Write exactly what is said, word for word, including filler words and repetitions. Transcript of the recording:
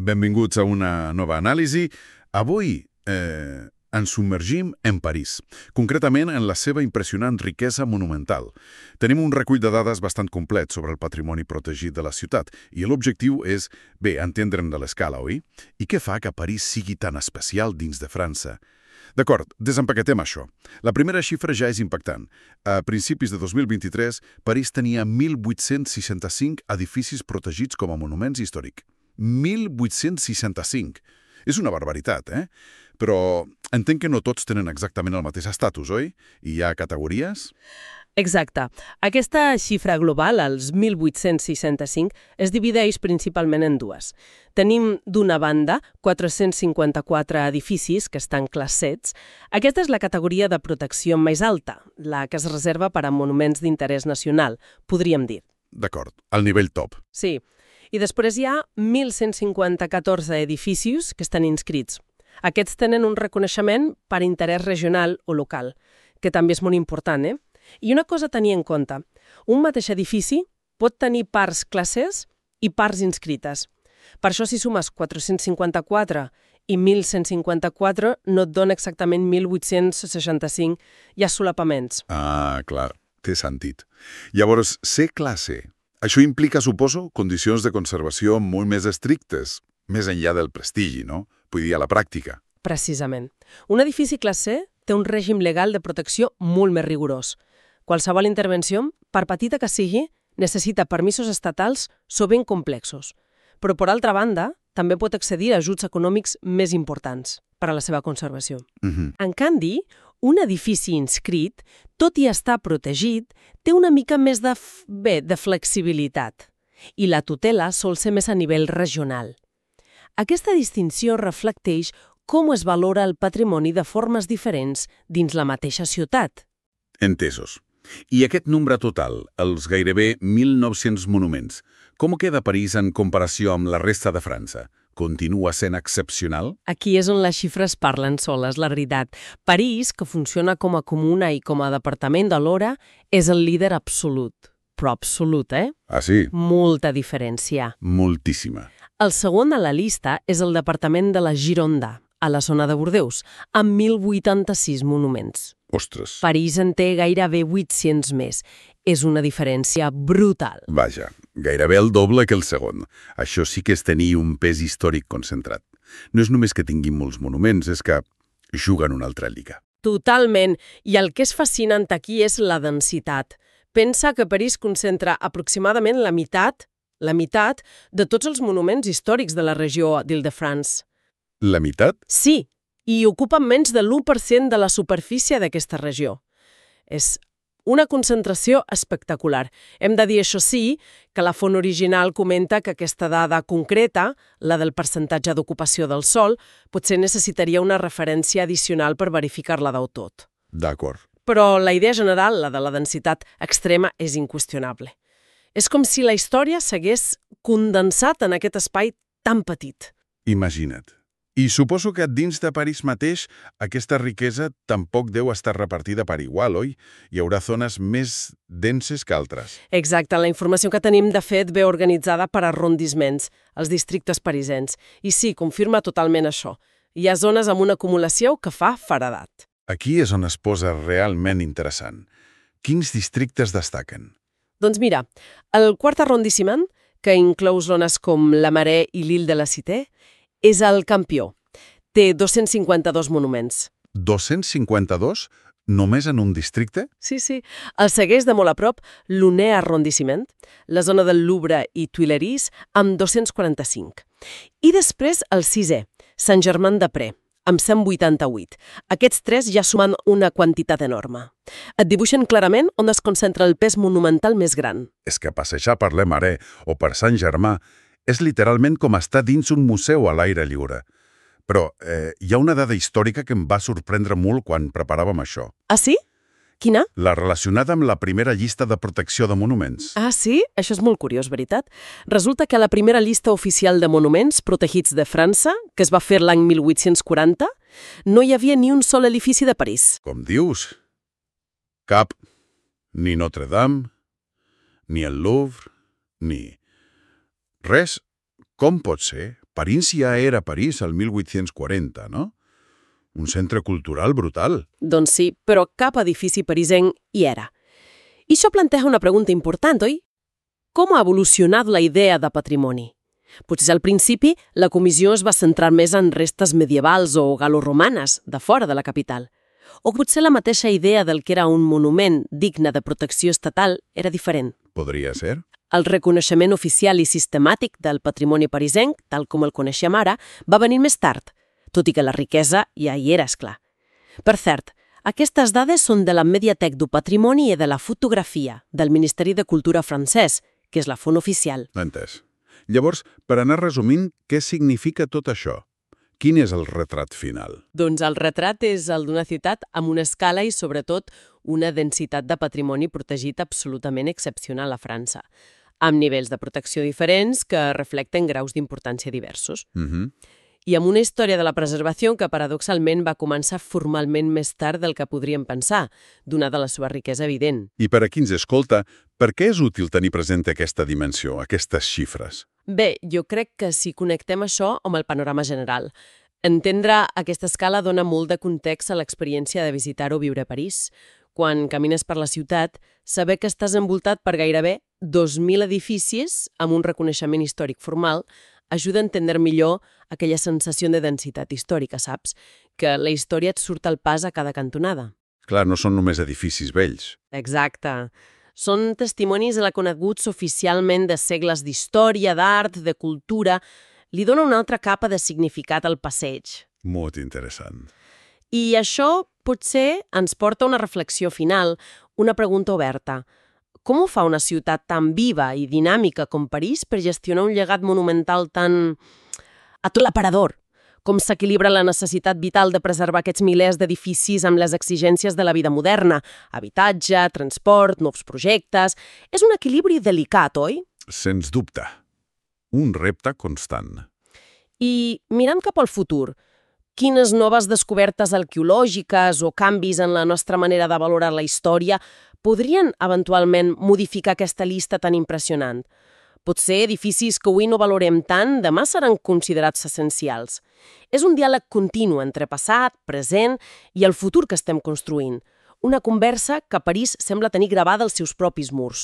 Benvinguts a una nova anàlisi. Avui eh, ens submergim en París, concretament en la seva impressionant riquesa monumental. Tenim un recull de dades bastant complet sobre el patrimoni protegit de la ciutat i l'objectiu és, bé, entendre'n de l'escala, oi? I què fa que París sigui tan especial dins de França? D'acord, desempaquetem això. La primera xifra ja és impactant. A principis de dos mil vint-i-tres, París tenia mil vuit-cents seixanta-cinc edificis protegits com a monuments històrics. mil vuit-cents seixanta-cinc. És una barbaritat, eh? Però entenc que no tots tenen exactament el mateix estatus, oi? I hi ha categories? Exacte. Aquesta xifra global, els mil vuit-cents seixanta-cinc, es divideix principalment en dues. Tenim, d'una banda, quatre-cents cinquanta-quatre edificis que estan classets. Aquesta és la categoria de protecció més alta, la que es reserva per a monuments d'interès nacional, podríem dir. D'acord, al nivell top. Sí. I després hi ha mil cent cinquanta-quatre edificis que estan inscrits. Aquests tenen un reconeixement per interès regional o local, que també és molt important, eh? I una cosa a tenir en compte, un mateix edifici pot tenir parts classes i parts inscrites. Per això, si sumes quatre-cents cinquanta-quatre i mil cent cinquanta-quatre, no et dona exactament mil vuit-cents seixanta-cinc, hi ha solapaments. Ah, clar, té sentit. Llavors, ser classe, això implica, suposo, condicions de conservació molt més estrictes, més enllà del prestigi, no? Vull dir, a la pràctica. Precisament. Un edifici classe té un règim legal de protecció molt més rigorós. Qualsevol intervenció, per petita que sigui, necessita permisos estatals sovint complexos. Però, per altra banda, també pot accedir a ajuts econòmics més importants per a la seva conservació. Uh-huh. En canvi, un edifici inscrit, tot i estar protegit, té una mica més de, f... bé, de flexibilitat. I la tutela sol ser més a nivell regional. Aquesta distinció reflecteix com es valora el patrimoni de formes diferents dins la mateixa ciutat. Entesos. I aquest nombre total, els gairebé mil nou-cents monuments, com queda París en comparació amb la resta de França? Continua sent excepcional? Aquí és on les xifres parlen soles, la veritat. París, que funciona com a comuna i com a departament alhora, és el líder absolut. Però absolut, eh? Ah, sí? Molta diferència. Moltíssima. El segon a la llista és el departament de la Gironda, a la zona de Bordeus, amb mil vuitanta-sis monuments. Ostres. París en té gairebé vuit-cents més. És una diferència brutal. Vaja, gairebé el doble que el segon. Això sí que és tenir un pes històric concentrat. No és només que tinguin molts monuments, és que juguen una altra lliga. Totalment. I el que és fascinant aquí és la densitat. Pensa que París concentra aproximadament la meitat, la meitat de tots els monuments històrics de la regió d'Île-de-France. La meitat? Sí, i ocupen menys de l'u per cent de la superfície d'aquesta regió. És una concentració espectacular. Hem de dir, això sí, que la font original comenta que aquesta dada concreta, la del percentatge d'ocupació del sòl, potser necessitaria una referència addicional per verificar-la del tot. D'acord. Però la idea general, la de la densitat extrema, és inqüestionable. És com si la història s'hagués condensat en aquest espai tan petit. Imagina't. I suposo que dins de París mateix aquesta riquesa tampoc deu estar repartida per igual, oi? Hi haurà zones més denses que altres. Exacte, la informació que tenim de fet ve organitzada per arrondissements, els districtes parisens. I sí, confirma totalment això. Hi ha zones amb una acumulació que fa feredat. Aquí és on es posa realment interessant. Quins districtes destaquen? Doncs mira, el quart arrondissement, que inclou zones com la Marais i l'Île de la Cité, és el campió. Té dos-cents cinquanta-dos monuments. dos-cents cinquanta-dos? Només en un districte? Sí, sí. El segueix de molt a prop l'Unè arrondissement, la zona del Louvre i Tuileries, amb dos-cents quaranta-cinc. I després el sisè, Saint-Germain-des-Prés, amb cent vuitanta-vuit. Aquests tres ja sumen una quantitat enorme. Et dibuixen clarament on es concentra el pes monumental més gran. És que passejar per Le Marais o per Saint-Germain és literalment com estar dins un museu a l'aire lliure. Però eh, hi ha una dada històrica que em va sorprendre molt quan preparàvem això. Ah, sí? Quina? La relacionada amb la primera llista de protecció de monuments. Ah, sí? Això és molt curiós, veritat. Resulta que a la primera llista oficial de monuments protegits de França, que es va fer l'any mil vuit-cents quaranta, no hi havia ni un sol edifici de París. Com dius? Cap. Ni Notre-Dame, ni el Louvre, ni... Res. Com pot ser? París ja era París al mil vuit-cents quaranta, no? Un centre cultural brutal. Doncs sí, però cap edifici parisenc hi era. I això planteja una pregunta important, oi? Com ha evolucionat la idea de patrimoni? Potser al principi la comissió es va centrar més en restes medievals o galoromanes de fora de la capital. O potser la mateixa idea del que era un monument digne de protecció estatal era diferent. Podria ser. El reconeixement oficial i sistemàtic del patrimoni parisenc, tal com el coneixem ara, va venir més tard, tot i que la riquesa ja hi era, esclar. Per cert, aquestes dades són de la Mediathèque du Patrimoni i de la Fotografia, del Ministeri de Cultura francès, que és la font oficial. Entès. Llavors, per anar resumint, què significa tot això? Quin és el retrat final? Doncs el retrat és el d'una ciutat amb una escala i, sobretot, una densitat de patrimoni protegit absolutament excepcional a França, amb nivells de protecció diferents que reflecten graus d'importància diversos. Mhm. I amb una història de la preservació que, paradoxalment, va començar formalment més tard del que podríem pensar, donada la seva riquesa evident. I per a qui ens escolta, per què és útil tenir present aquesta dimensió, aquestes xifres? Bé, jo crec que si connectem això amb el panorama general. Entendre aquesta escala dona molt de context a l'experiència de visitar o viure a París. Quan camines per la ciutat, saber que estàs envoltat per gairebé dos mil edificis amb un reconeixement històric formal ajuda a entendre millor aquella sensació de densitat històrica, saps? Que la història et surt al pas a cada cantonada. Clar, no són només edificis vells. Exacte. Són testimonis reconeguts oficialment de segles d'història, d'art, de cultura. Li dona una altra capa de significat al passeig. Molt interessant. I això potser ens porta a una reflexió final, una pregunta oberta. Com ho fa una ciutat tan viva i dinàmica com París per gestionar un llegat monumental tan aclaparador? Com s'equilibra la necessitat vital de preservar aquests milers d'edificis amb les exigències de la vida moderna? Habitatge, transport, nous projectes... És un equilibri delicat, oi? Sens dubte. Un repte constant. I mirant cap al futur, quines noves descobertes arqueològiques o canvis en la nostra manera de valorar la història podrien eventualment modificar aquesta llista tan impressionant? Potser edificis que avui no valorem tant, demà seran considerats essencials. És un diàleg continu entre passat, present i el futur que estem construint. Una conversa que París sembla tenir gravada als seus propis murs.